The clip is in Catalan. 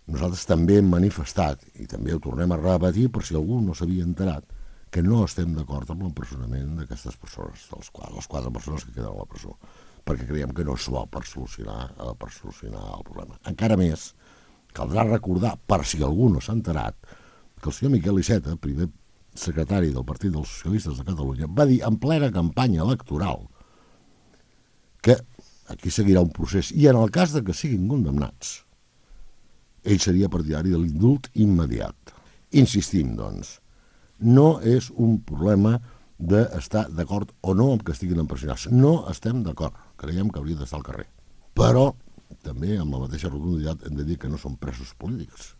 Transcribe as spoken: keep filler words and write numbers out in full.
Nosaltres també hem manifestat, i també ho tornem a repetir per si algú no s'havia enterat, que no estem d'acord amb l'empresonament d'aquestes persones, dels quatre, les quatre persones que queden a la presó, perquè creiem que no és bo per solucionar, per solucionar el problema. Encara més, caldrà recordar, per si algú no s'ha enterat, que el senyor Miquel Iceta, primer secretari del Partit dels Socialistes de Catalunya, va dir en plena campanya electoral que aquí seguirà un procés i en el cas de que siguin condemnats ell seria partidari de l'indult immediat. Insistim, doncs, no és un problema d'estar d'acord o no amb que estiguin empresonats. No estem d'acord, creiem que hauria d'estar al carrer. Però també amb la mateixa rotunditat hem de dir que no són presos polítics.